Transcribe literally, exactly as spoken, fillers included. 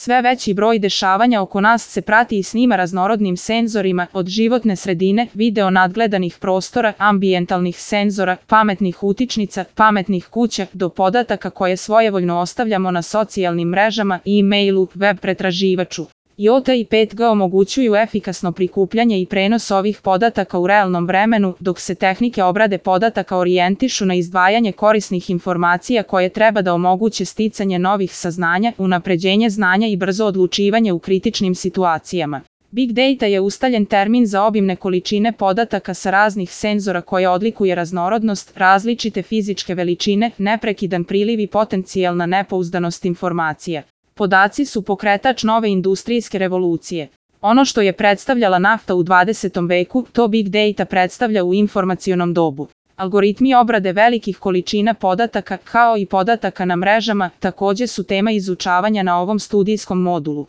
Sve veći broj dešavanja oko nas se prati i snima raznorodnim senzorima, od životne sredine, video nadgledanih prostora, ambijentalnih senzora, pametnih utičnica, pametnih kuća, do podataka koje svojevoljno ostavljamo na socijalnim mrežama, e-mailu, web pretraživaču. I O T i pet G omogućuju efikasno prikupljanje i prenos ovih podataka u realnom vremenu, dok se tehnike obrade podataka orijentišu na izdvajanje korisnih informacija koje treba da omoguće sticanje novih saznanja, unapređenje znanja i brzo odlučivanje u kritičnim situacijama. Big data je ustaljen termin za obimne količine podataka sa raznih senzora koje odlikuje raznorodnost, različite fizičke veličine, neprekidan priliv i potencijalna nepouzdanost informacija. Podaci su pokretač nove industrijske revolucije. Ono što je predstavljala nafta u dvadesetom veku, to Big Data predstavlja u informacionom dobu. Algoritmi obrade velikih količina podataka, kao i podataka na mrežama, takođe su tema izučavanja na ovom studijskom modulu.